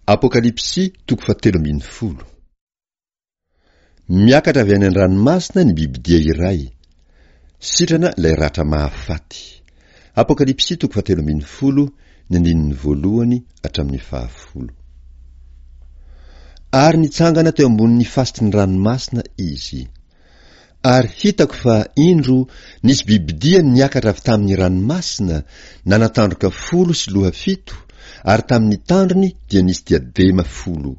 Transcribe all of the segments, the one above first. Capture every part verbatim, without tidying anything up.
Apokalypsy toko fahatelo ambin'ny folo. Miakatra avy any an-dranomasina ny bibidia iray. Sitrana ilay ratra mahafaty. Apokalypsy toko fahatelo ambin'ny folo, ny andininy voalohany hatramin'ny fahafolo. Ary nitsangana teo ambonin'ny fasiky ny ranomasina izy. Ary hitako fa indro nisy bibidia niakatra avy tamin'ny ranomasina, nanan-tandroka folo sy loha fito, ary tamin'ny tandrony dia nisy diadema folo.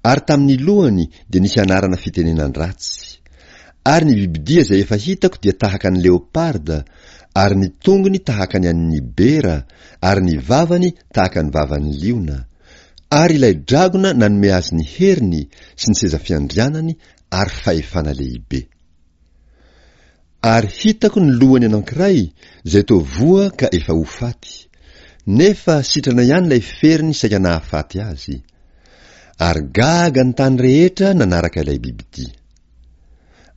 Ary tamin'ny lohany dia nisy anarana fitenenan-dratsy. Ary ny bibidia izay efa hitako dia tahaka ny leoparda, ary ny tongony tahaka ny an'ny bera, ary ny vavany tahaka ny vavan'ny liona. Ary ilay dragona nanome azy ny heriny sy ny seza fiandrianany ary fahefana lehibe. Ary hitako ny lohany anankiray izay toa voa ka efa ho faty, nefa sitrana ihany ilay feriny saika nahafaty azy. Ary gaga ny tany rehetra nanaraka ilay bibidia.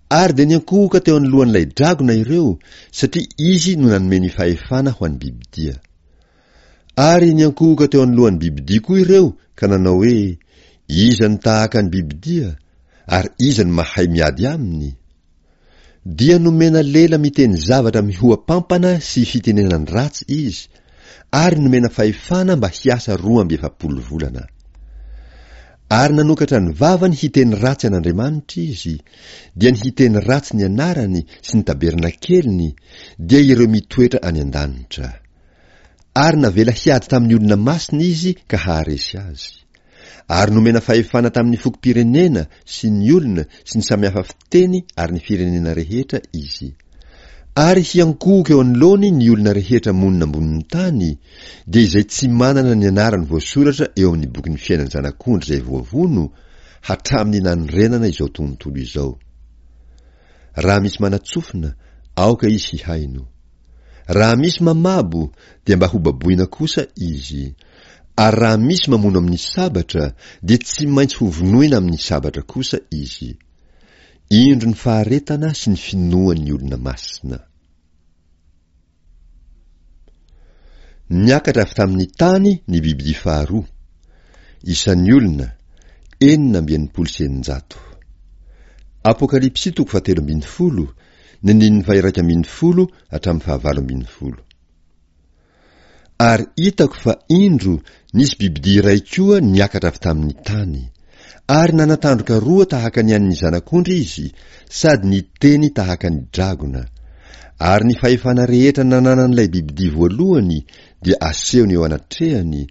Ary dia niankohoka teo anoloan'ilay dragona ireo, satria izy no nanome ny fahefana ho an'ny bibidia. Ary niankohoka teo anoloan'ny bibidia koa ireo ka nanao hoe, Iza no tahaka ny bibidia, ary iza no mahay miady aminy? Dia nomena lela miteny zavatra mihoa-pampana sy fitenenan-dratsy izy, ary nomena fahefana mba hiasa roa amby efapolo volana. Ary nanokatra ny vavany hiteny ratsy an'Andriamanitra izy, dia ny hiteny ratsy ny anarany sy ny tabernakeliny, dia ireo mitoetra any an-danitra. Ary navela hiady tamin'ny olona masina izy ka haharesy azy. Ary nomena fahefana tamin'ny fokom-pirenena sy ny olona sy ny samihafa fiteny ary ny firenena rehetra izy. Ary hiankohoka eo anoloany ny olona rehetra monina ambonin'ny tany, dia izay tsy manana ny anarany voasoratra eo amin'ny bokin'ny fiainan'ny Zanak'ondry izay voavono, hatramin'ny nanorenana izao tontolo izao. Raha misy manatsofina, aoka izy hihaino. Raha misy mamabo, dia mba hobaboina kosa izy. Ary raha misy mamono amin'ny sabatra, dia tsy maintsy hovonoina amin'ny sabatra kosa izy. Indro ny faharetana sy ny finoan'ny olona masina. Niakatra avy tamin'ny tany ny bibidia faharoa. Isan'ny olona, enina amby enimpolo sy eninjato. Apokalypsy toko fahatelo ambin'ny folo, ny andininy faha-iraika ambin'ny folo hatramin'ny fahavalo ambin'ny folo. Ary hitako fa indro nisy bibidia iray koa niakatra avy tamin'ny tany. Ary nanan-tandroka roa tahaka ny an'ny zanak'ondry izy, sady niteny tahaka ny dragona. Ary ny fahefana rehetra nananan'ilay bibidia voalohany dia asehony eo anatrehany,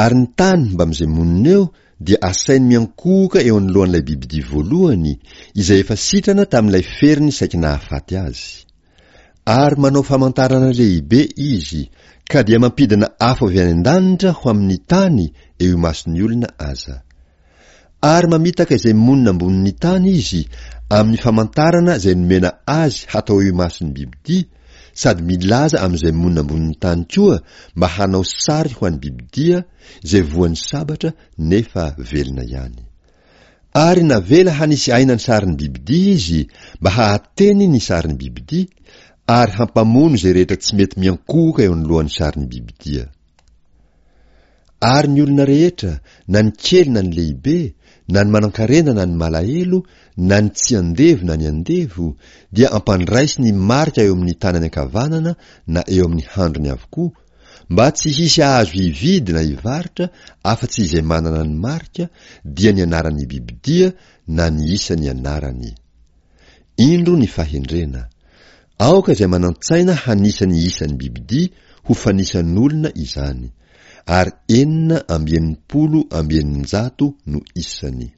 ary ny tany mbamin'izay monina eo dia asainy miankohoka eo anoloan'ilay bibidia voalohany, izay efa sitrana tamin'ilay feriny saiky nahafaty azy. Ary manao famantarana lehibe izy, ka dia mampidina afo avy any an-danitra ho amin'ny tany eo imason'ny olona aza. Ary mamitaka izay monina ambonin'ny tany izy amin'ny famantarana izay nomena azy hatao eo imason'ny bibidia, sady milaza amin'izay monina ambonin'ny tany koa mba hanao sary ho an'ny bibidia izay voan'ny sabatra nefa velona ihany. Ary navela hanisy aina ny sarin'ny bibidia izy mba hahateny ny sarin'ny bibidia ary hampamono izay rehetra tsy mety miankohoka eo anoloan'ny sarin'ny bibidia. Ary ny olona rehetra, na ny kely na ny lehibe, na ny manankarena na ny malahelo, na ny tsy andevo na ny andevo, dia ampandraisy ny marika eo amin'ny tanany ankavanana na eo amin'ny handriny avokoa, mba tsy hisy ahazo hividy na hivarotra afa-tsy izay manana ny marika, dia ny anaran'ny bibidia na ny isan'ny anarany. Indro ny fahendrena. Aoka izay manan-tsaina hanisa ny isan'ny bibidia ho fanisan'olona izany, ary enina amby enimpolo amby eninjato no isany.